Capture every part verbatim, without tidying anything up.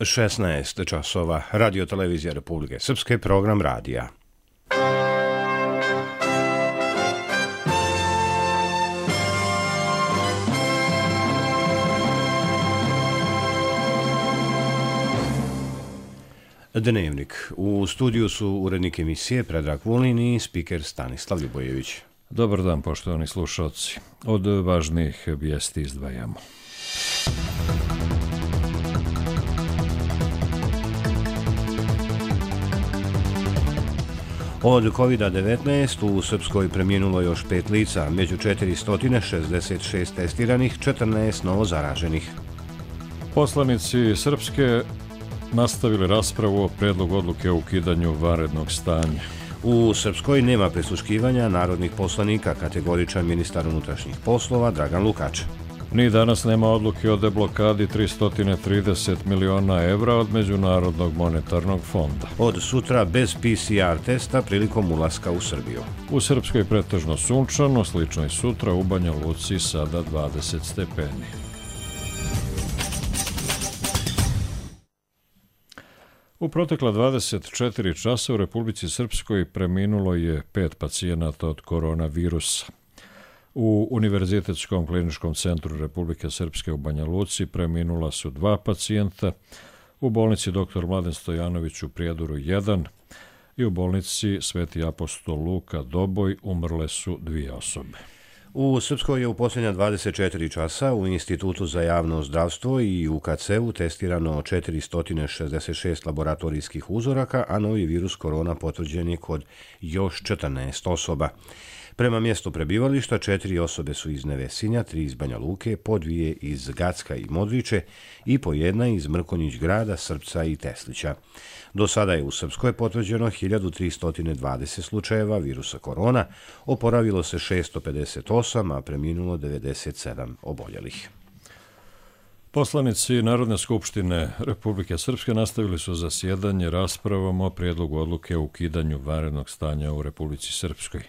šesnaest časova, Radio Televizija Republike Srpske, program radija. Dnevnik. U studiju su urednik emisije Predrag Vulin i spiker Stanislav Ljubojević. Dobar dan, poštovani slušalci. Od važnijih vijesti izdvajamo. Od kovid devetnaest u Srpskoj preminulo još pet lica, među četiristo šezdeset šest testiranih, četrnaest novo zaraženih. Poslanici Srpske nastavili raspravu o predlogu odluke o ukidanju vanrednog stanja. U Srpskoj nema prisluškivanja narodnih poslanika, kategoričan ministar unutrašnjih poslova Dragan Lukač. Ni danas nema odluke o deblokadi tristo trideset miliona evra od Međunarodnog monetarnog fonda. Od sutra bez P C R testa prilikom ulaska u Srbiju. U Srpskoj pretežno sunčano, slično i sutra u Banja Luci sada dvadeset stepeni. U protekla dvadeset četiri časa u Republici Srpskoj preminulo je pet pacijenata od koronavirusa. U Univerzitetskom kliničkom centru Republike Srpske u Banja Luci preminula su dva pacijenta, u bolnici doktor Mladen Stojanović u Prijedoru jedan i u bolnici Sveti apostol Luka Doboj umrle su dvije osobe. U Srpskoj je u posljednja dvadeset četiri časa u Institutu za javno zdravstvo i u K C U testirano četiristo šezdeset šest laboratorijskih uzoraka, a novi virus korona potvrđen je kod još četrnaest osoba. Prema mjestu prebivališta, četiri osobe su iz Nevesinja, tri iz Banja Luke, po dvije iz Gacka i Modriče i po jedna iz Mrkonjić grada, Srpca i Teslića. Do sada je u Srpskoj potvrđeno hiljadu tristo dvadeset slučajeva virusa korona, oporavilo se šesto pedeset osam, a preminulo devedeset sedam oboljelih. Poslanici Narodne skupštine Republike Srpske nastavili su zasjedanje raspravom o prijedlogu odluke o ukidanju vanrednog stanja u Republici Srpskoj.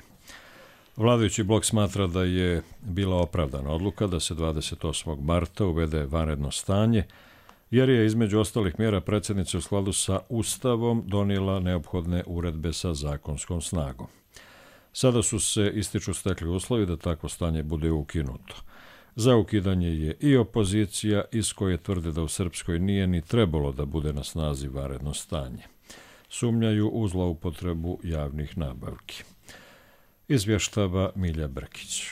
Vladajući blok smatra da je bila opravdana odluka da se dvadeset osmog marta uvede vanredno stanje, jer je između ostalih mjera predsjednica u skladu sa Ustavom donijela neophodne uredbe sa zakonskom snagom. Sada su se ističu stekli uslovi da takvo stanje bude ukinuto. Za ukidanje je i opozicija, iz koje tvrde da u Srpskoj nije ni trebalo da bude na snazi vanredno stanje. Sumnjaju u zloupotrebu javnih nabavki. Izvještava Milja Brkić.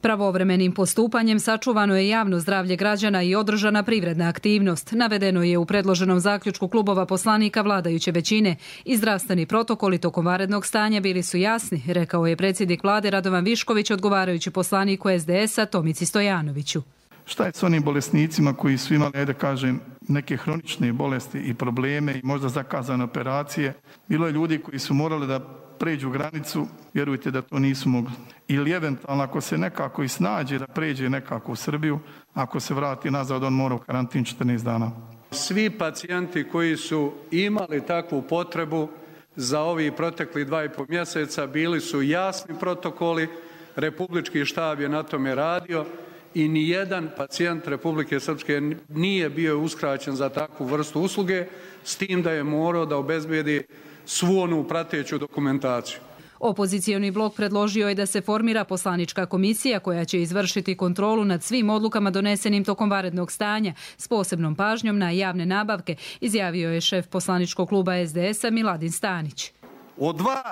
Pravovremenim postupanjem sačuvano je javno zdravlje građana i održana privredna aktivnost. Navedeno je u predloženom zaključku klubova poslanika vladajuće većine. I zdravstveni protokoli tokom vanrednog stanja bili su jasni, rekao je predsjednik vlade Radovan Višković odgovarajući poslaniku S D S-a Tomici Stojanoviću. Šta je s onim bolesnicima koji su imali, da kažem, neke hronične bolesti i probleme i možda zakazane operacije? Bilo je ljudi koji su morali da pređu granicu, vjerujte da to nisu mogli. Ili eventualno ako se nekako i snađe da pređe nekako u Srbiju, ako se vrati nazad, on mora u karantin četrnaest dana. Svi pacijenti koji su imali takvu potrebu za ovih protekli dva i pol mjeseca bili su jasni protokoli, Republički štab je na tome radio i nijedan pacijent Republike Srpske nije bio uskraćen za takvu vrstu usluge, s tim da je morao da obezbedi svu onu prateću dokumentaciju. Opozicioni blok predložio je da se formira poslanička komisija koja će izvršiti kontrolu nad svim odlukama donesenim tokom vanrednog stanja s posebnom pažnjom na javne nabavke, izjavio je šef poslaničkog kluba S D S-a Miladin Stanić. Od dva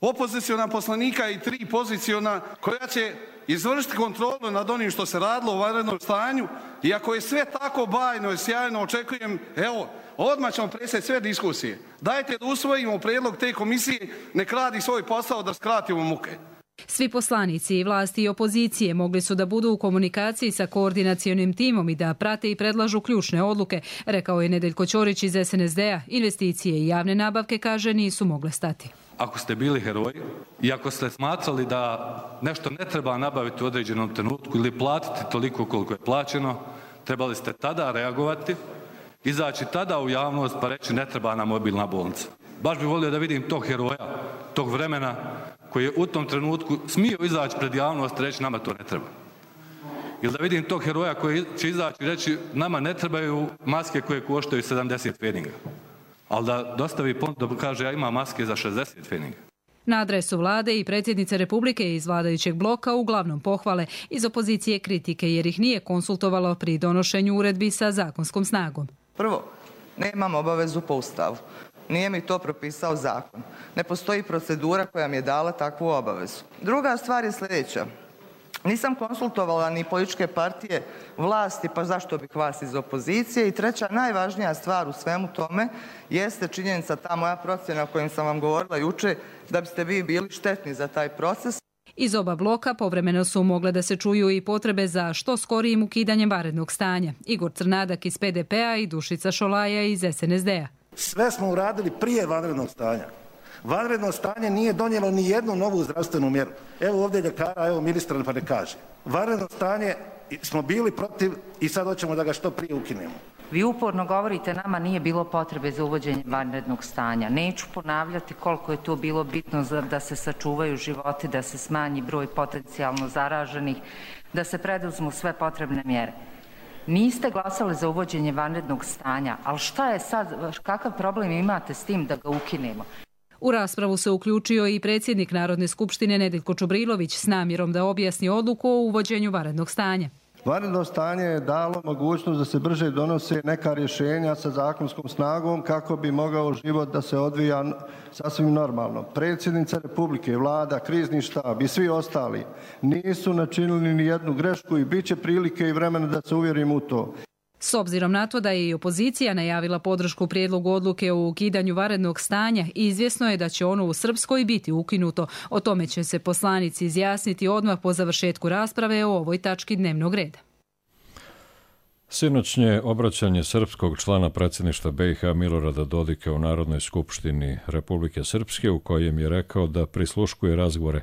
opoziciona poslanika i tri poziciona koja će izvršiti kontrolu nad onim što se radilo u vanrednom stanju, i ako je sve tako bajno i sjajno, očekujem, evo, odmah ćemo presjeti sve diskusije. Dajte da usvojimo prijedlog te komisije, nek radi svoj posao da skratimo muke. Svi poslanici i vlasti i opozicije mogli su da budu u komunikaciji sa koordinacionim timom i da prate i predlažu ključne odluke, rekao je Nedeljko Ćorić iz S N S D-a. Investicije i javne nabavke, kaže, nisu mogle stati. Ako ste bili heroji i ako ste smatrali da nešto ne treba nabaviti u određenom trenutku ili platiti toliko koliko je plaćeno, trebali ste tada reagovati, izaći tada u javnost pa reći ne treba nam mobilna bolnica. Baš bih volio da vidim tog heroja, tog vremena koji je u tom trenutku smio izaći pred javnost i reći nama to ne treba. Ili da vidim tog heroja koji će izaći i reći nama ne trebaju maske koje koštaju sedamdeset feninga. Ali da dostavi ponudu da kaže ja imam maske za šezdeset feninga. Na adresu vlade i predsjednice Republike iz vladajućeg bloka uglavnom pohvale, iz opozicije kritike jer ih nije konsultovalo pri donošenju uredbi sa zakonskom snagom. Prvo, nemam obavezu po Ustavu. Nije mi to propisao zakon. Ne postoji procedura koja mi je dala takvu obavezu. Druga stvar je sljedeća. Nisam konsultovala ni političke partije vlasti, pa zašto bih vas iz opozicije. I treća, najvažnija stvar u svemu tome jeste činjenica, ta moja procjena o kojim sam vam govorila juče, da biste vi bili štetni za taj proces. Iz oba bloka povremeno su mogle da se čuju i potrebe za što skorijim ukidanjem vanrednog stanja. Igor Crnadak iz P D P-a i Dušica Šolaja iz S N S D-a. Sve smo uradili prije vanrednog stanja. Vanredno stanje nije donijelo ni jednu novu zdravstvenu mjeru. Evo ovdje ljekara, evo ministra pa ne kaže. Vanredno stanje smo bili protiv i sad hoćemo da ga što prije ukinemo. Vi uporno govorite nama nije bilo potrebe za uvođenje vanrednog stanja. Neću ponavljati koliko je to bilo bitno da se sačuvaju životi, da se smanji broj potencijalno zaraženih, da se preduzmu sve potrebne mjere. Niste glasali za uvođenje vanrednog stanja, ali šta je sad, kakav problem imate s tim da ga ukinemo? U raspravu se uključio i predsjednik Narodne skupštine Nedeljko Čubrilović s namjerom da objasni odluku o uvođenju vanrednog stanja. Vanredno stanje je dalo mogućnost da se brže donose neka rješenja sa zakonskom snagom kako bi mogao život da se odvija sasvim normalno. Predsjednica Republike, vlada, krizni štab i svi ostali nisu načinili ni jednu grešku i bit će prilike i vremena da se uvjerimo u to. S obzirom na to da je i opozicija najavila podršku prijedlogu odluke o ukidanju vanrednog stanja, izvjesno je da će ono u Srpskoj biti ukinuto. O tome će se poslanici izjasniti odmah po završetku rasprave o ovoj tački dnevnog reda. Sinoćnje obraćanje srpskog člana predsjedništva B i H Milorada Dodika u Narodnoj skupštini Republike Srpske, u kojem je rekao da prisluškuje razgovore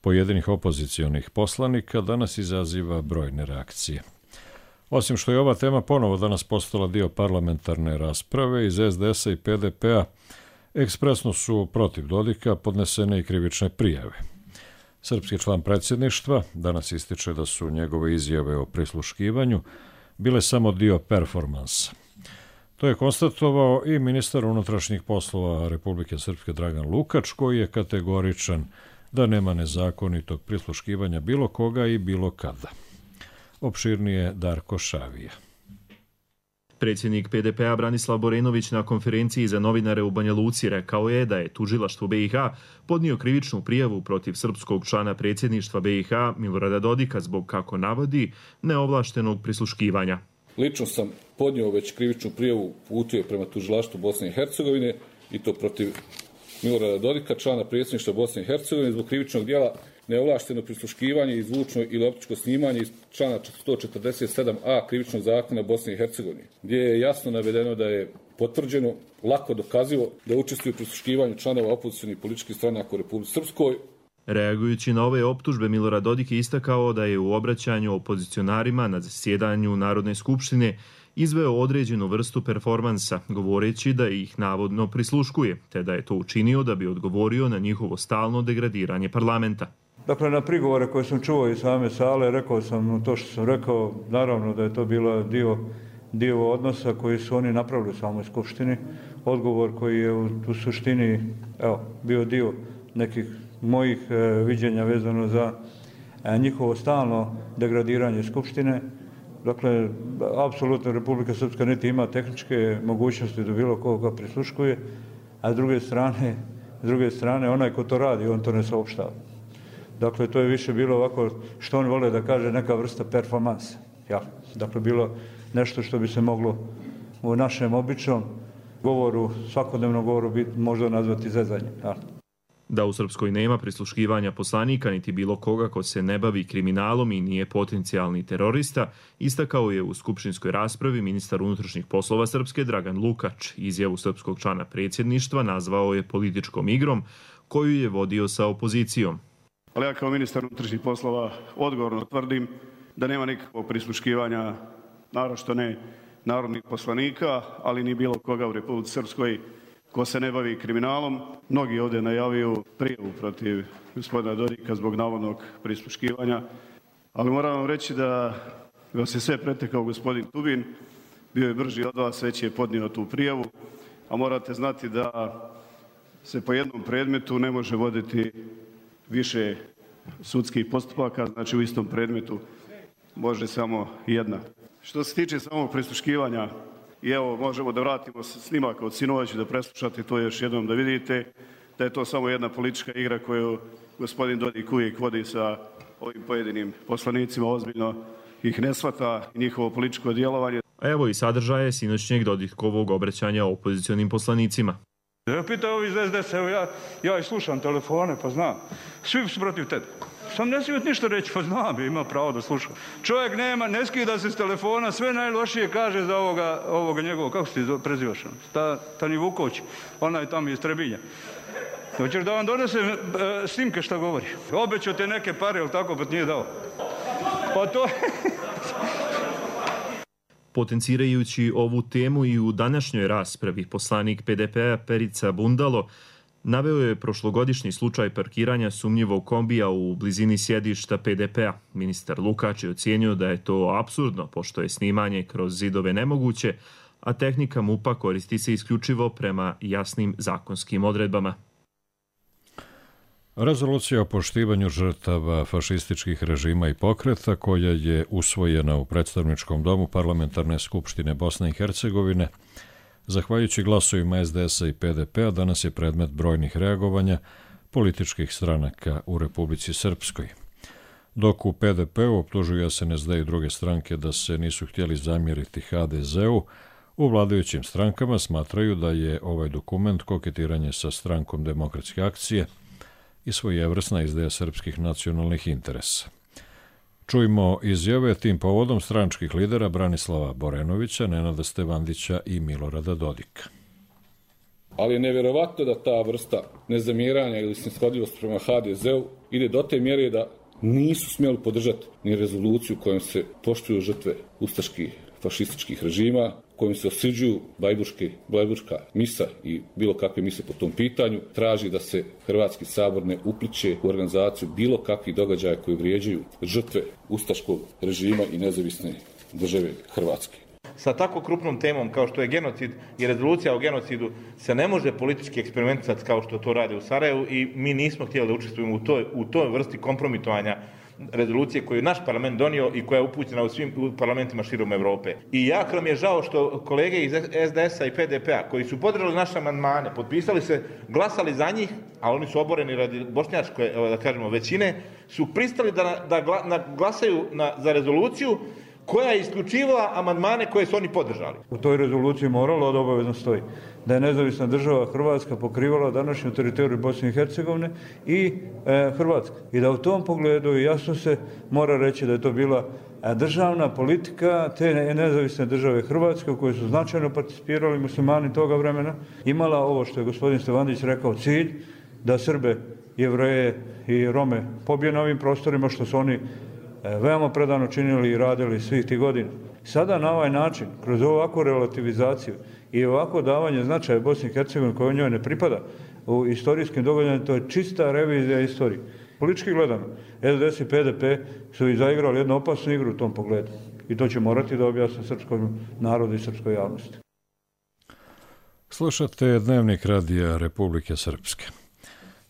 pojedinih opozicionih poslanika, danas izaziva brojne reakcije. Osim što je ova tema ponovo danas postala dio parlamentarne rasprave, iz S D S-a i P D P-a ekspresno su protiv Dodika podnesene i krivične prijave. Srpski član predsjedništva danas ističe da su njegove izjave o prisluškivanju bile samo dio performansa. To je konstatovao i ministar unutrašnjih poslova Republike Srpske Dragan Lukač, koji je kategoričan da nema nezakonitog prisluškivanja bilo koga i bilo kada. Opširnije Darko Šavija. Predsjednik P D P-a Branislav Borenović na konferenciji za novinare u Banja Luci rekao je da je tužilaštvo B i H podnio krivičnu prijavu protiv srpskog člana predsjedništva B i H Milorada Dodika zbog, kako navodi, neovlaštenog prisluškivanja. Lično sam podnio već krivičnu prijavu, uputio prema tužilaštvu Bosne i Hercegovine i to protiv Milorada Dodika, člana predsjedništva Bosne i Hercegovine, zbog krivičnog djela neovlašteno prisluškivanje i zvučno ili optičko snimanje iz člana sto četrdeset sedam a krivičnog zakona Bosne i Hercegovine, gdje je jasno navedeno da je potvrđeno, lako dokazivo, da učestvuju u prisluškivanju članova opozicionih političkih stranaka u Republici Srpskoj. Reagujući na ove optužbe, Milorad Dodik je istakao da je u obraćanju opozicionarima na zasjedanju Narodne skupštine izveo određenu vrstu performansa, govoreći da ih navodno prisluškuje, te da je to učinio da bi odgovorio na njihovo stalno degradiranje parlamenta. Dakle, na prigovore koje sam čuo iz same sale, rekao sam to što sam rekao, naravno da je to bilo dio, dio odnosa koji su oni napravili u samoj skupštini. Odgovor koji je u, u suštini evo, bio dio nekih mojih e, viđenja vezano za e, njihovo stalno degradiranje skupštine. Dakle, apsolutno Republika Srpska niti ima tehničke mogućnosti da bilo koga prisluškuje, a s druge strane, s druge strane onaj ko to radi, on to ne saopštava. Dakle, to je više bilo ovako, što on vole da kaže, neka vrsta performansa. Ja. Dakle, bilo nešto što bi se moglo u našem običnom govoru, svakodnevnom govoru biti možda nazvati zezanje. Ja. Da u Srpskoj nema prisluškivanja poslanika niti bilo koga ko se ne bavi kriminalom i nije potencijalni terorista, istakao je u skupštinskoj raspravi ministar unutrašnjih poslova Srpske Dragan Lukač. Izjavu srpskog člana predsjedništva nazvao je političkom igrom koju je vodio sa opozicijom. Ali ja kao ministar unutrašnjih poslova odgovorno tvrdim da nema nikakvog prisluškivanja, naročito ne narodnih poslanika, ali ni bilo koga u Republici Srpskoj ko se ne bavi kriminalom. Mnogi ovdje najavio prijavu protiv gospodina Dodika zbog navodnog prisluškivanja. ali moram vam reći da vas je sve pretekao gospodin Tubin, bio je brži od vas, već je podnio tu prijavu, a morate znati da se po jednom predmetu ne može voditi više sudskih postupaka, znači u istom predmetu može samo jedna. Što se tiče samog prisluškivanja, i evo možemo da vratimo snimak od sinoć da preslušate to još jednom da vidite da je to samo jedna politička igra koju gospodin Dodik uvijek vodi sa ovim pojedinim poslanicima, ozbiljno ih ne shvata i njihovo političko djelovanje. A evo i sadržaje sinoćnjeg Dodikovog obraćanja opozicionim poslanicima. Ja pitam ovi iz es de es, evo ja, ja i slušam telefone, pa znam. Svi su protiv tebe. Sam ne smijem ništa reći, pa znam, ima pravo da sluša. Čovjek nema, ne skida se s telefona, sve najlošije kaže za ovoga, ovoga njegovog, kako se ti prezivaš? Ta, Tani Vuković, onaj tamo iz Trebinja. Hoćeš da vam donesem e, snimke šta govori? Obećao te neke pare, ili tako, pa ti nije dao. Pa to... Potencirajući ovu temu i u današnjoj raspravi, poslanik pe de pe-a Perica Bundalo naveo je prošlogodišnji slučaj parkiranja sumnjivog kombija u blizini sjedišta pe de pe-a. Ministar Lukač je ocijenio da je to apsurdno, pošto je snimanje kroz zidove nemoguće, a tehnika MUP-a koristi se isključivo prema jasnim zakonskim odredbama. Rezolucija o poštivanju žrtava fašističkih režima i pokreta, koja je usvojena u predstavničkom domu Parlamentarne skupštine Bosne i Hercegovine, zahvaljujući glasovima es de es-a i pe de pe-a, danas je predmet brojnih reagovanja političkih stranaka u Republici Srpskoj. Dok u pe de pe-u optužuju es en es de i druge stranke da se nisu htjeli zamjeriti ha de ze-u, u vladajućim strankama smatraju da je ovaj dokument koketiranje sa Strankom demokratske akcije i svojevrsna izdaja srpskih nacionalnih interesa. Čujmo izjave tim povodom stranačkih lidera Branislava Borenovića, Nenada Stevandića i Milorada Dodika. Ali je nevjerovatno da ta vrsta nezamjeranja ili snishodljivost prema ha de ze-u ide do te mjere da nisu smjeli podržati ni rezoluciju kojom se poštuju žrtve ustaških fašističkih režima, kojim se osuđuju Blajburška misa i bilo kakve mise po tom pitanju, traži da se Hrvatski sabor ne upliće u organizaciju bilo kakvih događaja koji vrijeđaju žrtve ustaškog režima i nezavisne države Hrvatske. Sa tako krupnom temom kao što je genocid i rezolucija o genocidu se ne može politički eksperimentisati kao što to rade u Sarajevu i mi nismo htjeli da učestvujemo u toj, u toj vrsti kompromitovanja rezolucije koju je naš parlament donio i koja je upućena u svim parlamentima širom Evrope. I jako nam je žao što kolege iz es de es-a i pe de pe-a koji su podržali naše amandmane, potpisali se, glasali za njih, a oni su oboreni radi bošnjačke, da kažemo, većine, su pristali da, da, da glasaju na, za rezoluciju koja je isključivala amandmane koje su oni podržali. U toj rezoluciji moralo da obavezno stoji da je nezavisna država Hrvatska pokrivala današnju teritoriju Bosne i Hercegovine i e, Hrvatska. I da u tom pogledu jasno se mora reći da je to bila državna politika te nezavisne države Hrvatske u kojoj su značajno participirali muslimani toga vremena, imala ovo što je gospodin Stevandić rekao cilj, da Srbe, Jevreje i Rome pobije na ovim prostorima, što su oni veoma predano činili i radili svih tih godina. Sada na ovaj način, kroz ovakvu relativizaciju i ovako davanje značaja Bosni i Hercegovini koje njoj ne pripada u istorijskim događajima, to je čista revizija istorije. Politički gledano, es de es i pe de pe su i zaigrali jednu opasnu igru u tom pogledu. I to će morati da objasne srpskom narodu i srpskoj javnosti. Slušate Dnevnik radija Republike Srpske.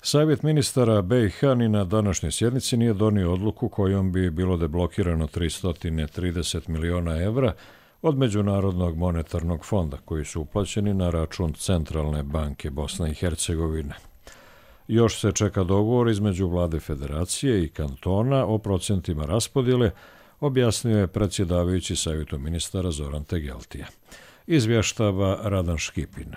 Savjet ministara be i ha ni na današnjoj sjednici nije donio odluku kojom bi bilo deblokirano tristo trideset miliona evra od Međunarodnog monetarnog fonda koji su uplaćeni na račun Centralne banke Bosne i Hercegovine. Još se čeka dogovor između vlade federacije i kantona o procentima raspodjele, objasnio je predsjedavajući savjetu ministara Zoran Tegeltija. Izvještava Radan Škipin.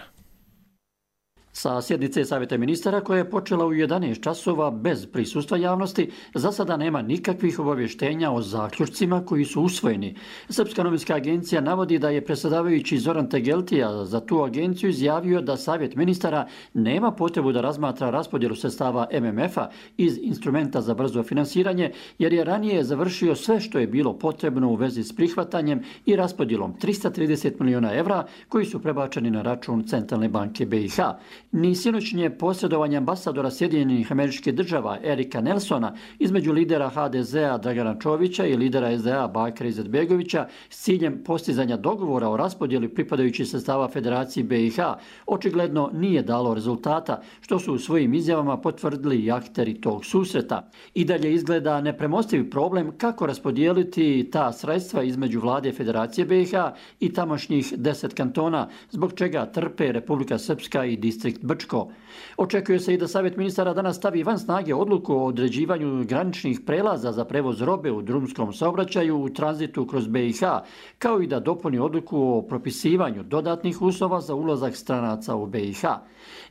Sa sjednice Savjeta ministara koja je počela u jedanaest časova bez prisustva javnosti, za sada nema nikakvih obavještenja o zaključcima koji su usvojeni. Srpska novinska agencija navodi da je predsjedavajući Zoran Tegeltija za tu agenciju izjavio da Savjet ministara nema potrebu da razmatra raspodjelu sredstava em em ef-a iz instrumenta za brzo finansiranje, jer je ranije završio sve što je bilo potrebno u vezi s prihvatanjem i raspodjelom tristo trideset miliona evra koji su prebačeni na račun Centralne banke be i ha. ni sinoćnje posredovanje ambasadora Sjedinjenih Američkih Država Erika Nelsona između lidera ha de zea Dragana Čovića i lidera es de a Bakira Izetbegovića s ciljem postizanja dogovora o raspodjeli pripadajućih sredstava Federaciji be i ha očigledno nije dalo rezultata, što su u svojim izjavama potvrdili i akteri tog susreta. I dalje izgleda nepremostivi problem kako raspodijeliti ta sredstva između vlade Federacije be i ha i tamošnjih deset kantona, zbog čega trpe Republika Srpska i distrikt Brčko. Očekuje se i da Savjet ministara danas stavi van snage odluku o određivanju graničnih prelaza za prevoz robe u drumskom saobraćaju u tranzitu kroz be i ha, kao i da dopuni odluku o propisivanju dodatnih uslova za ulazak stranaca u be i ha.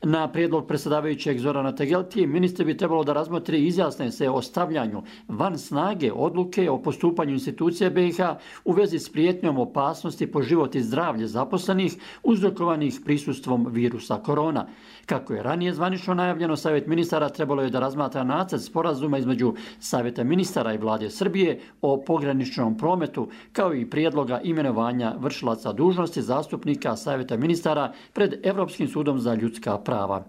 Na prijedlog predsjedavajućeg Zorana Tegeltije, ministri bi trebalo da razmotri i izjasne se o stavljanju van snage odluke o postupanju institucije be i ha u vezi s prijetnjom opasnosti po život i zdravlje zaposlenih uzrokovanih prisustvom virusa korona. Kako je ranije zvanično najavljeno, Savjet ministara trebalo je da razmatra nacrt sporazuma između Savjeta ministara i vlade Srbije o pograničnom prometu, kao i prijedloga imenovanja vršilaca dužnosti zastupnika Savjeta ministara pred Evropskim sudom za ljudska prava.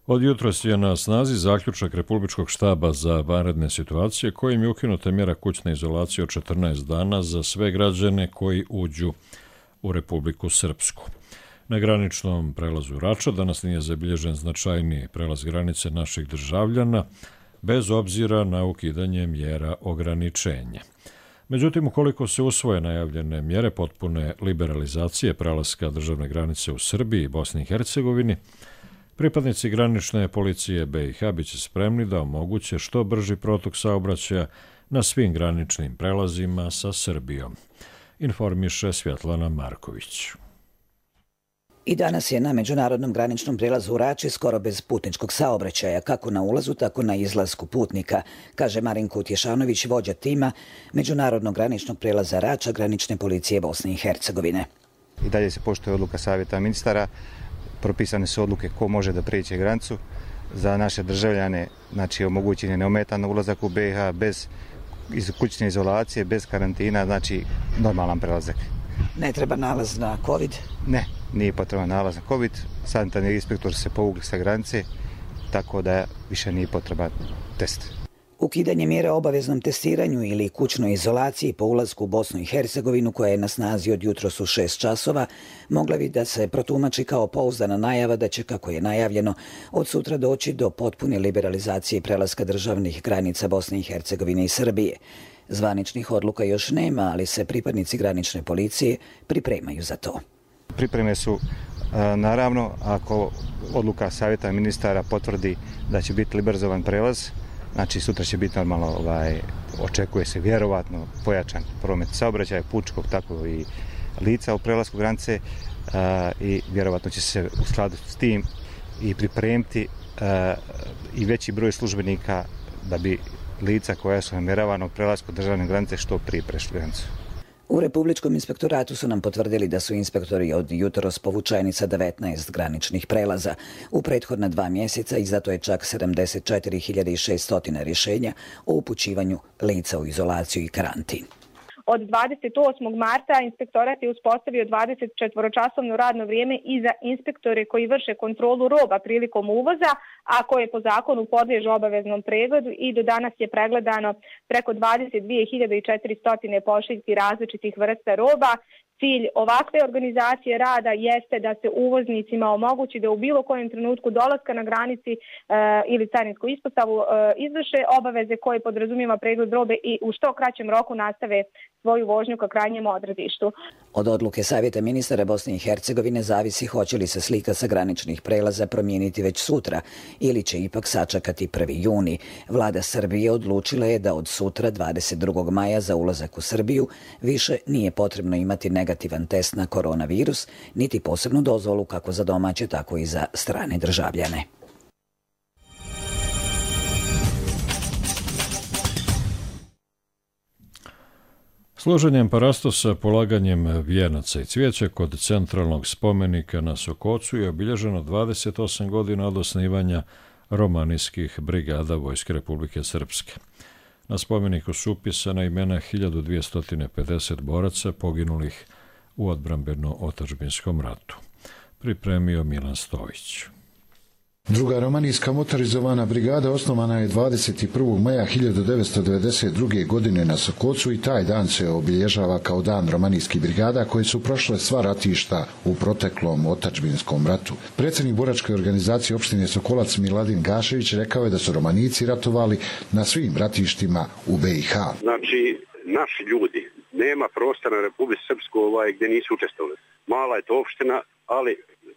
Od jutros je na snazi zaključak Republičkog štaba za vanredne situacije kojim je ukinuta mjera kućne izolacije od četrnaest dana za sve građane koji uđu u Republiku Srpsku. Na graničnom prelazu Rača danas nije zabilježen značajniji prelaz granice naših državljana, bez obzira na ukidanje mjera ograničenja. Međutim, ukoliko se usvoje najavljene mjere potpune liberalizacije prelaska državne granice u Srbiji i Bosni i Hercegovini, pripadnici granične policije be i ha biće spremni da omoguće što brži protok saobraćaja na svim graničnim prelazima sa Srbijom, informiše Svjetlana Marković. I danas je na međunarodnom graničnom prijelazu u Rači skoro bez putničkog saobraćaja, kako na ulazu, tako na izlasku putnika, kaže Marinko Utješanović, vođa tima međunarodnog graničnog prijelaza Rača granične policije Bosne i Hercegovine. I dalje se poštuje odluka Savjeta ministara, propisane su odluke ko može da prijeđe granicu. Za naše državljane, znači omogućen je neometan ulazak u be i ha bez kućne izolacije, bez karantina, znači normalan prelazak. Ne treba nalaz na COVID? Ne, nije potreban nalaz na COVID. Sanitarni inspektor se povukli sa granice, tako da više nije potreban test. Ukidanje mjera o obaveznom testiranju ili kućnoj izolaciji po ulasku u Bosnu i Hercegovinu, koja je na snazi od jutros u šest časova, mogla bi da se protumači kao pouzdana najava da će, kako je najavljeno, od sutra doći do potpune liberalizacije prelaska državnih granica Bosne i Hercegovine i Srbije. Zvaničnih odluka još nema, ali se pripadnici granične policije pripremaju za to. Pripreme su, naravno, ako odluka Savjeta ministara potvrdi da će biti liberalizovan prelaz, znači sutra će biti normalno, ovaj, očekuje se vjerovatno pojačan promet saobraćaja, putničkog, tako i lica u prelasku granice a, i vjerovatno će se u skladu s tim i pripremiti a, i veći broj službenika da bi lica koja su namjeravana u prelasku državne granice što prije prešli granicu. U Republičkom inspektoratu su nam potvrdili da su inspektori od jutros povučeni sa devetnaest graničnih prelaza. U prethodna dva mjeseca izdato je čak sedamdeset četiri hiljade šesto rješenja o upućivanju lica u izolaciju i karantin. Od dvadeset osmog marta inspektorat je uspostavio dvadesetčetvoročasovno radno vrijeme i za inspektore koji vrše kontrolu roba prilikom uvoza, a koje po zakonu podliježu obaveznom pregledu, i do danas je pregledano preko dvadeset dvije hiljade četiristo pošiljki različitih vrsta roba. Cilj ovakve organizacije rada jeste da se uvoznicima omogući da u bilo kojem trenutku dolaska na granici e, ili carinsku ispostavu e, izvrše obaveze koje podrazumijeva pregled robe i u što kraćem roku nastave svoju vožnju ka krajnjem odredištu. Od odluke Savjeta ministara Bosne i Hercegovine zavisi hoće li se slika sa graničnih prelaza promijeniti već sutra ili će ipak sačekati prvi juni. Vlada Srbije odlučila je da od sutra dvadeset drugog maja za ulazak u Srbiju više nije potrebno imati negativan test na koronavirus, niti posebnu dozvolu kako za domaće, tako i za strane državljane. Složenjem parastosa, polaganjem vijenaca i cvijeća kod centralnog spomenika na Sokocu je obilježeno dvadeset osam godina od osnivanja romanijskih brigada Vojske Republike Srpske. Na spomeniku su upisana imena hiljadu dvjesto pedeset boraca poginulih u odbrambeno-otadžbinskom ratu. pripremio Milan Stojić. Druga romanijska motorizovana brigada osnovana je dvadeset prvog maja hiljadu devetsto devedeset druge. godine na Sokocu i taj dan se obilježava kao dan romanijskih brigada koje su prošle sva ratišta u proteklom otadžbinskom ratu. Predsjednik boračke organizacije opštine Sokolac Miladin Gašević rekao je da su romanici ratovali na svim ratištima u B i H. Znači, naši ljudi, nema prostora na Republike Srpskoj ovaj, gdje nisu učestvovali. Mala je to opština, ali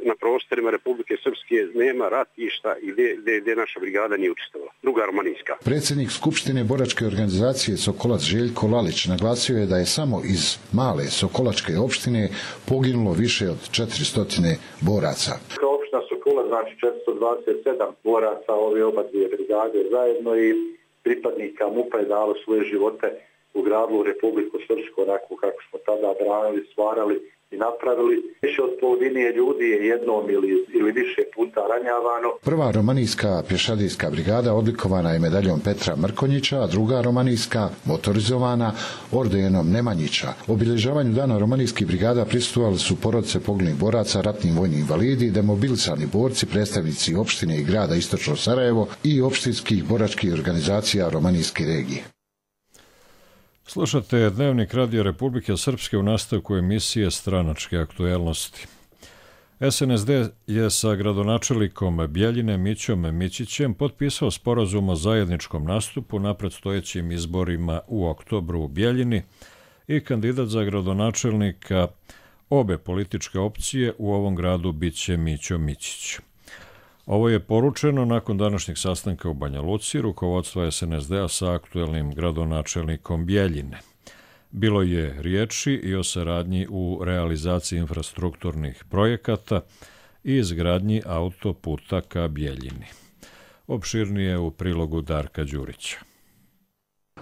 na prostorima Republike Srpske nema ratišta i gdje, gdje, gdje naša brigada nije učestvovala. Druga romanijska. Predsjednik Skupštine boračke organizacije Sokolac Željko Lalić naglasio je da je samo iz male Sokolačke opštine poginulo više od četiristo boraca. Kao opština Sokolac, znači četiristo dvadeset sedam boraca ove oba dvije brigade zajedno i pripadnika MUP-a je dalo svoje živote u gradu Republiku Srpsku, onako kako smo tada branili, stvarali i napravili. Više od polovine ljudi je jednom ili, ili više puta ranjavano. Prva romanijska pješadijska brigada odlikovana je medaljom Petra Mrkonjića, a druga romanijska motorizovana ordenom Nemanjića. Obilježavanju dana romanijskih brigada prisustvovali su porodice poginulih boraca, ratni vojni invalidi, demobilisani borci, predstavnici opštine i grada Istočno Sarajevo i opštinskih boračkih organizacija romanijske regije. Slušate Dnevnik Radio Republike Srpske u nastavku emisije Stranačke aktuelnosti. S N S D je sa gradonačelnikom Bjeljine Mićom Mićićem potpisao sporazum o zajedničkom nastupu na predstojećim izborima u oktobru u Bjeljini i kandidat za gradonačelnika obe političke opcije u ovom gradu biće Mićo Mićić. Ovo je poručeno nakon današnjeg sastanka u Banja Luci rukovodstva S N S D-a sa aktuelnim gradonačelnikom Bjeljine. Bilo je riječi i o saradnji u realizaciji infrastrukturnih projekata i izgradnji autoputa ka Bjeljini. Opširnije u prilogu Darka Đurića.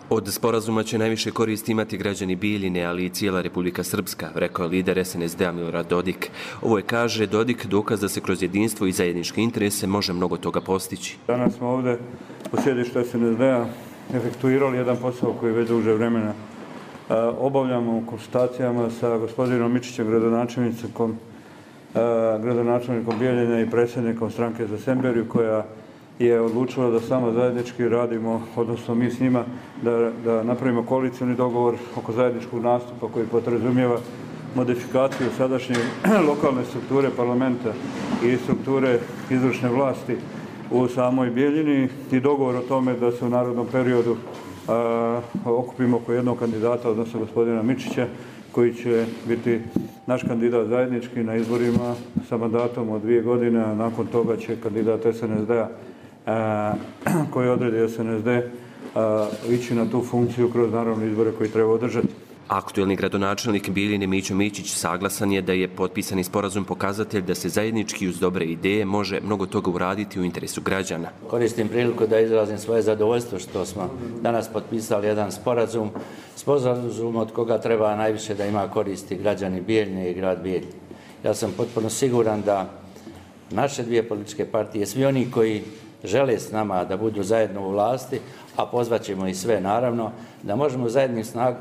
Od sporazuma će najviše koristi imati građani Bijeljine, ali i cijela Republika Srpska, rekao je lider S N S D-a Milorad Dodik. Ovo je, kaže Dodik, dokaz da se kroz jedinstvo i zajedničke interese može mnogo toga postići. Danas smo ovdje u sjedištu S N S D-a efektuirali jedan posao koji već duže vremena obavljamo u konsultacijama sa gospodinom Mičićem, gradonačelnikom, gradonačelnikom Bijeljine i predsjednikom stranke za Semberiju, koja je odlučila da samo zajednički radimo, odnosno mi s njima, da, da napravimo koalicijni dogovor oko zajedničkog nastupa koji podrazumijeva modifikaciju sadašnje lokalne strukture parlamenta i strukture izvršne vlasti u samoj Bijeljini i dogovor o tome da se u narodnom periodu a, okupimo oko jednog kandidata, odnosno gospodina Mičića, koji će biti naš kandidat zajednički na izborima sa mandatom od dvije godine, a nakon toga će kandidat S N S D-a koji odredi S N S D ići na tu funkciju kroz naravno izbore koji treba održati. Aktuelni gradonačelnik Bijeljine Mićo Mićić saglasan je da je potpisani sporazum pokazatelj da se zajednički uz dobre ideje može mnogo toga uraditi u interesu građana. Koristim priliku da izrazim svoje zadovoljstvo što smo danas potpisali jedan sporazum, sporazum od koga treba najviše da ima koristi građani Bijeljine i grad Bijeljine. Ja sam potpuno siguran da naše dvije političke partije, svi oni koji žele s nama da budu zajedno u vlasti, a pozvaćemo i sve naravno, da možemo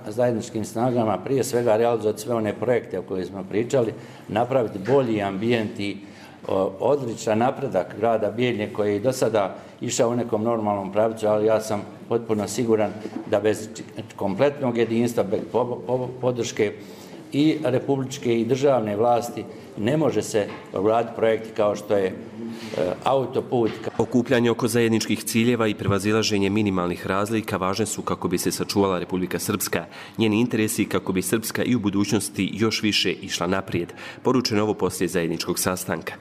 zajedničkim snagama prije svega realizovati sve one projekte o kojima smo pričali, napraviti bolji ambijent i odličan napredak grada Bijeljine koji je do sada išao u nekom normalnom pravcu, ali ja sam potpuno siguran da bez kompletnog jedinstva, bez podrške i republičke i državne vlasti ne može se uraditi projekti kao što je autoput. Okupljanje oko zajedničkih ciljeva i prevazilaženje minimalnih razlika važne su kako bi se sačuvala Republika Srpska, njeni interesi kako bi Srpska i u budućnosti još više išla naprijed. Poručeno ovo poslije zajedničkog sastanka.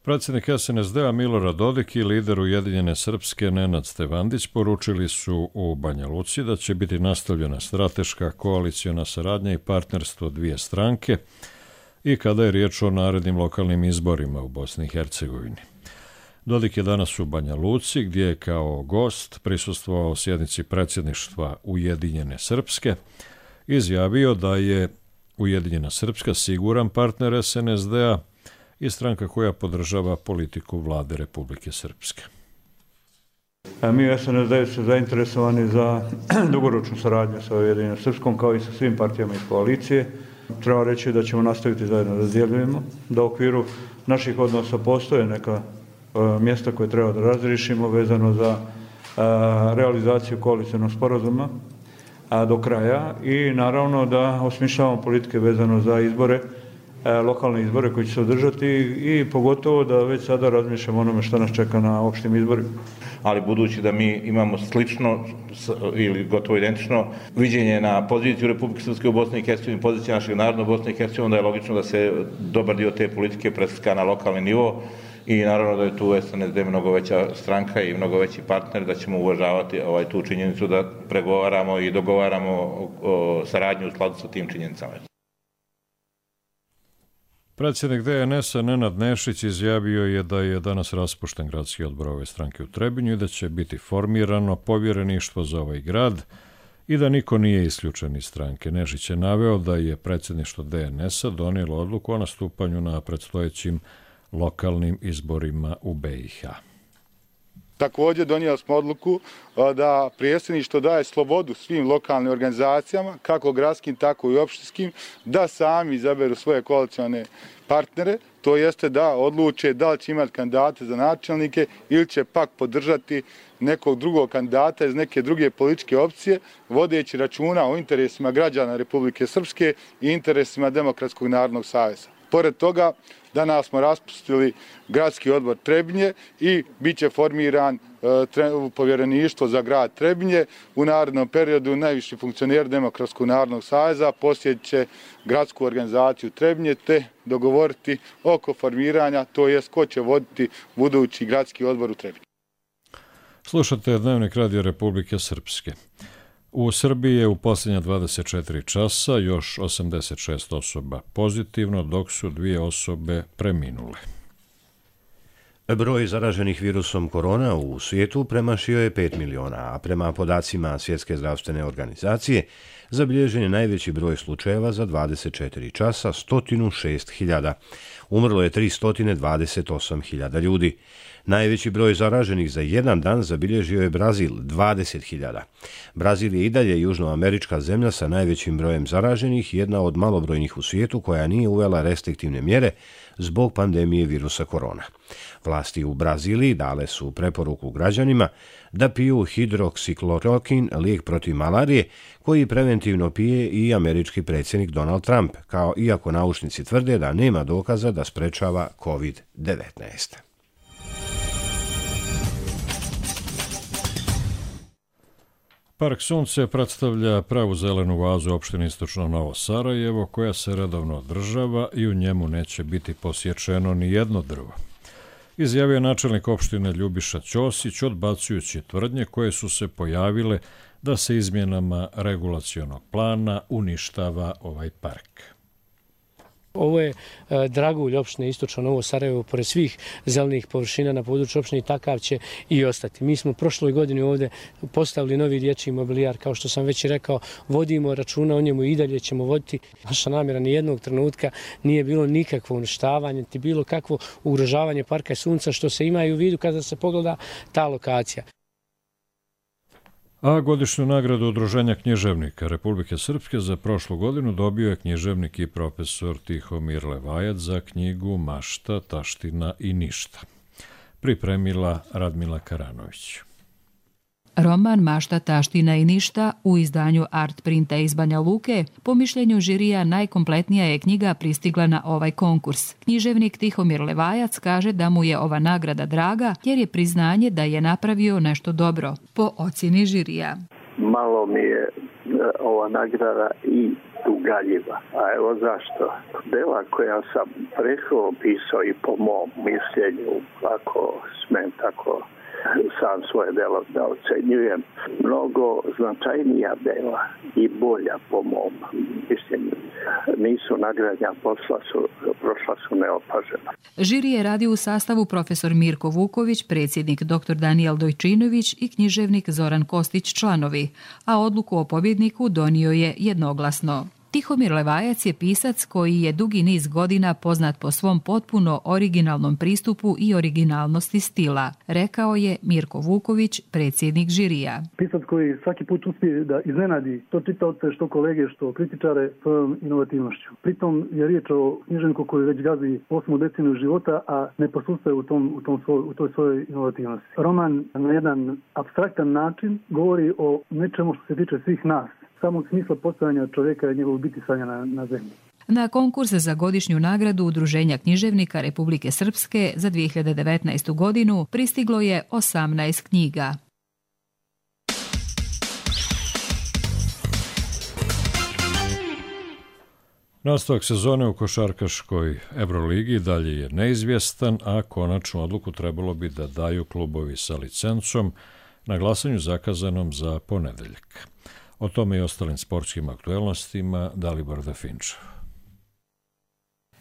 Predsjednik S N S D-a Milorad Dodik i lider Ujedinjene Srpske Nenad Stevandić poručili su u Banja Luci da će biti nastavljena strateška koaliciona saradnja i partnerstvo dvije stranke i kada je riječ o narednim lokalnim izborima u Bosni i Hercegovini. Dodik je danas u Banja Luci gdje je kao gost prisustvovao sjednici predsjedništva Ujedinjene Srpske, izjavio da je Ujedinjena Srpska siguran partner S N S D-a i stranka koja podržava politiku vlade Republike Srpske. Mi u S N S D su zainteresovani za dugoročnu saradnju sa Ujedinjenom Srpskom kao i sa svim partijama iz koalicije. Treba reći da ćemo nastaviti zajedno da djelujemo, da u okviru naših odnosa postoje neka mjesta koje treba da razriješimo vezano za realizaciju koalicionog sporazuma do kraja i naravno da osmišljavamo politike vezano za izbore, lokalne izbore koji će se održati i pogotovo da već sada razmišljamo onome što nas čeka na opštim izborima. Ali budući da mi imamo slično ili gotovo identično viđenje na poziciju Republike Srpske u Bosni i Hercegovini, pozicija našeg naroda u Bosni i Hercegovini, onda je logično da se dobar dio te politike preslika na lokalni nivo i naravno da je tu S N S D mnogo veća stranka i mnogo veći partner, da ćemo uvažavati ovaj, tu činjenicu da pregovaramo i dogovaramo o, o saradnju u skladu sa tim činjenicama. Predsjednik D N S-a Nenad Nešić izjavio je da je danas raspušten gradski odbor ove stranke u Trebinju i da će biti formirano povjereništvo za ovaj grad i da niko nije isključen iz stranke. Nešić je naveo da je predsjedništvo D N S-a donijelo odluku o nastupanju na predstojećim lokalnim izborima u B i H. Također donijeli smo odluku da predsjedništvo daje slobodu svim lokalnim organizacijama, kako gradskim, tako i opštinskim, da sami izaberu svoje koalicione partnere, to jeste da odluče da li će imati kandidate za načelnike ili će pak podržati nekog drugog kandidata iz neke druge političke opcije, vodeći računa o interesima građana Republike Srpske i interesima Demokratskog narodnog saveza. Pored toga, danas smo raspustili gradski odbor Trebinje i bit će formiran e, povjereništvo za grad Trebinje. U narednom periodu najviši funkcioner Demokratskog narodnog saveza posjetit će gradsku organizaciju Trebinje te dogovoriti oko formiranja, to jest ko će voditi budući gradski odbor u Trebinju. Slušate Dnevnik Radio Republike Srpske. U Srbiji je u posljednja dvadeset četiri časa još osamdeset šest osoba pozitivno, dok su dvije osobe preminule. Broj zaraženih virusom korona u svijetu premašio je pet miliona, a prema podacima Svjetske zdravstvene organizacije zabilježen je najveći broj slučajeva za dvadeset četiri časa, sto šest hiljada. Umrlo je tristo dvadeset osam hiljada ljudi. Najveći broj zaraženih za jedan dan zabilježio je Brazil, dvadeset hiljada. Brazil je i dalje južnoamerička zemlja sa najvećim brojem zaraženih, jedna od malobrojnih u svijetu koja nije uvela restriktivne mjere zbog pandemije virusa korona. Vlasti u Braziliji dale su preporuku građanima da piju hidroksiklorokin, lijek protiv malarije, koji preventivno pije i američki predsjednik Donald Trump, kao iako naučnici tvrde da nema dokaza da sprečava kovid devetnaest. Park Sunce predstavlja pravu zelenu vazu opštine Istočno Novo Sarajevo, koja se redovno održava i u njemu neće biti posječeno ni jedno drvo. Izjavio načelnik opštine Ljubiša Ćosić, odbacujući tvrdnje koje su se pojavile da se izmjenama regulacionog plana uništava ovaj park. Ovo je dragulj opštine Istočno Novo Sarajevo, pored svih zelenih površina na području opštine, takav će i ostati. Mi smo prošloj godini ovdje postavili novi dječji mobilijar, kao što sam već rekao, vodimo računa o njemu i dalje ćemo voditi. Naša namjera ni jednog trenutka nije bilo nikakvo uništavanje, ti bilo kakvo ugrožavanje Parka Sunca, što se ima i u vidu kada se pogleda ta lokacija. A godišnju nagradu Udruženja književnika Republike Srpske za prošlu godinu dobio je književnik i profesor Tihomir Levajac za knjigu Mašta, taština i ništa. Pripremila Radmila Karanović. Roman Mašta, taština i ništa u izdanju Art Printa iz Banja Luke, po mišljenju žirija najkompletnija je knjiga pristigla na ovaj konkurs. Književnik Tihomir Levajac kaže da mu je ova nagrada draga jer je priznanje da je napravio nešto dobro, po ocjeni žirija. Malo mi je ova nagrada i ugaljiva. A evo zašto. Dela koja sam prethodno pisao i po mom mišljenju, ako smem tako sam svoje delo da ocenjujem, mnogo značajnija dela i bolja po mom mišljenju. Nisu nagradnja, posla su, prošla su neopažena. Žiri je radio u sastavu profesor Mirko Vuković, predsjednik doktor Danijel Dojčinović i književnik Zoran Kostić članovi, a odluku o pobjedniku donio je jednoglasno. Tihomir Levajac je pisac koji je dugi niz godina poznat po svom potpuno originalnom pristupu i originalnosti stila, rekao je Mirko Vuković, predsjednik žirija. Pisac koji svaki put uspije da iznenadi što čitaoce, što kolege, što kritičare svojom inovativnošću. Pritom je riječ o književniku koji već gazi osmu deceniju života, a ne posustaje u, tom, u, tom svoj, u toj svojoj inovativnosti. Roman na jedan apstraktan način govori o nečemu što se tiče svih nas, samog smisla postojanja čovjeka i njegovog bitisanja na, na zemlji. Na konkurs za godišnju nagradu Udruženja književnika Republike Srpske za dvije hiljade devetnaestu. godinu pristiglo je osamnaest knjiga. Nastavak sezone u košarkaškoj Euroligi dalje je neizvjestan, a konačnu odluku trebalo bi da daju klubovi sa licencom na glasanju zakazanom za ponedeljak. O tome i ostalim sportskim aktuelnostima Dalibor Definčev.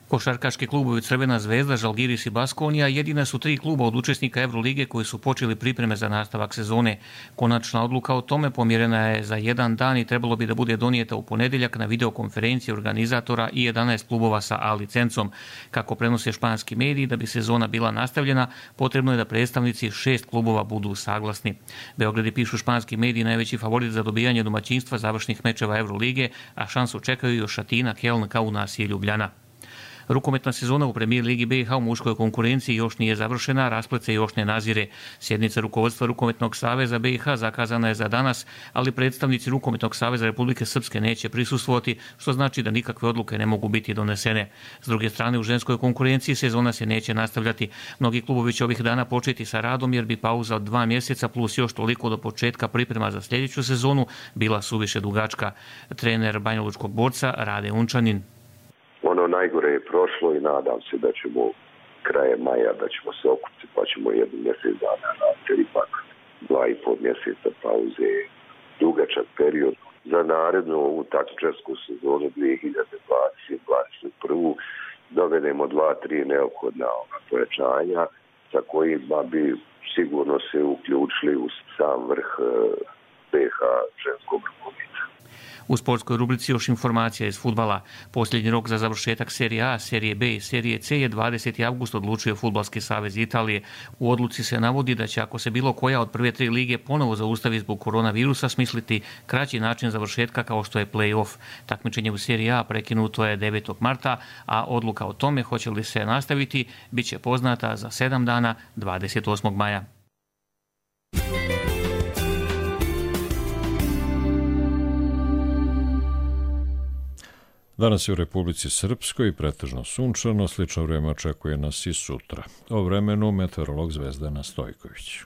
Košarkaški klubovi Crvena zvezda, Žalgiris i Baskonija jedina su tri kluba od učesnika Evrolige koji su počeli pripreme za nastavak sezone. Konačna odluka o tome pomjerena je za jedan dan i trebalo bi da bude donijeta u ponedjeljak na videokonferenciji organizatora i jedanaest klubova sa A licencom. Kako prenose španski mediji, da bi sezona bila nastavljena, potrebno je da predstavnici šest klubova budu saglasni. Beogradi, pišu španski mediji, najveći favorit za dobijanje domaćinstva završnih mečeva Evrolige, a šansu čekaju još Atina, Keln, Kaunas i Ljubljana. Rukometna sezona u Premijer Ligi B i H u muškoj konkurenciji još nije završena, rasplet se još ne nazire. Sjednica rukovodstva Rukometnog saveza B i H zakazana je za danas, ali predstavnici Rukometnog saveza Republike Srpske neće prisustvovati, što znači da nikakve odluke ne mogu biti donesene. S druge strane, u ženskoj konkurenciji sezona se neće nastavljati. Mnogi klubovi će ovih dana početi sa radom jer bi pauza od dva mjeseca plus još toliko do početka priprema za sljedeću sezonu bila suviše dugačka. Trener banjalučkog Borca Rade Unčanin. Ono najgore je prošlo i nadam se da ćemo krajem maja, da ćemo se okupiti pa ćemo jedan mjesec dana raditi, ipak dva i pol mjeseca pauze, dugačak period. Za narednu ovu takmičarsku sezonu dvije hiljade dvadeset dvadeset prvu dovedemo dva, tri neophodna pojačanja sa kojima bi sigurno se uključili u sam vrh B H ženskog rukometa. U sportskoj rubrici još informacija iz fudbala. Posljednji rok za završetak Serije A, Serije B i Serije C je dvadeseti avgust, odlučio Fudbalski savez Italije. U odluci se navodi da će, ako se bilo koja od prve tri lige ponovo zaustavi zbog koronavirusa, smisliti kraći način završetka kao što je play-off. Takmičenje u Seriji A prekinuto je devetog marta, a odluka o tome hoće li se nastaviti bit će poznata za sedam dana, dvadeset osmog maja. Danas je u Republici Srpskoj pretežno sunčano, slično vrijeme očekuje nas i sutra. O vremenu meteorolog Zvezdana Stojković.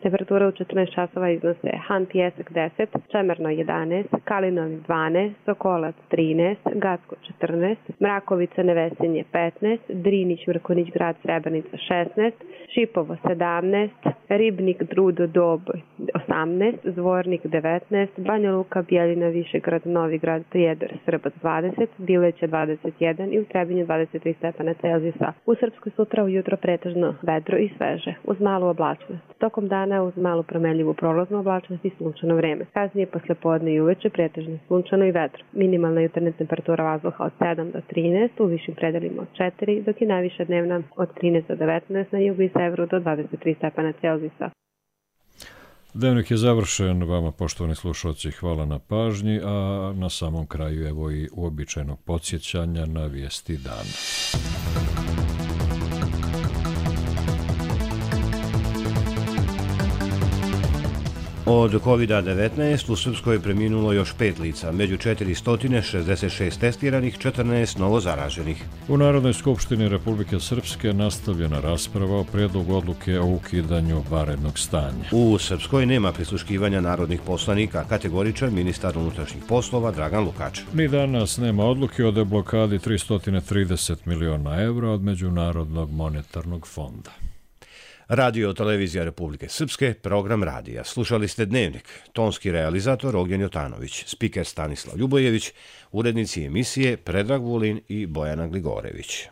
Temperatura u četrnaest časova iznose Han Pijesak deset, Čemerno jedanaest, Kalinović dvanaest, Sokolac trinaest, Gacko četrnaest, Mrakovica Nevesinje petnaest, Drinić Mrkonić grad Srebrenica šesnaest, Šipovo sedamnaest, Ribnik Drudo Doboj osamnaest, Zvornik devetnaest, Banja Luka Bjeljina Višegrad Novi grad Prijedor Srbac dvadeset, Bileće dvadeset jedan i u Trebinju dvadeset tri stepena Celzijusa. U Srpskoj sutra ujutro pretežno vedro i sveže, uz malu oblačnost. Tokom dana uz malu promenljivu prolaznu oblačnost i sunčano vreme. Kasnije posle podne i uveče pretežno sunčano i vedro. Minimalna jutarnja temperatura vazduha od sedam do trinaest, u višim predelima od četiri, dok je najviša dnevna od trinaest do devetnaest, na jugu i severu do dvadeset tri stepena Celzijusa. Dnevnik je završen. Vama, poštovani slušalci, hvala na pažnji, a na samom kraju evo i uobičajenog podsjećanja na vijesti dana. Od kovid devetnaest u Srpskoj je preminulo još pet lica, među četiristo šezdeset šest testiranih, četrnaest novozaraženih. U Narodnoj skupštini Republike Srpske nastavljena rasprava o prijedlogu odluke o ukidanju vanrednog stanja. U Srpskoj nema prisluškivanja narodnih poslanika, kategoričan ministar unutrašnjih poslova Dragan Lukač. Ni danas nema odluke o deblokadi tristo trideset miliona evra od Međunarodnog monetarnog fonda. Radio televizija Republike Srpske, program radija. Slušali ste Dnevnik. Tonski realizator Ognjen Jotanović, spiker Stanislav Ljubojević, urednici emisije Predrag Vulin i Bojana Gligorević.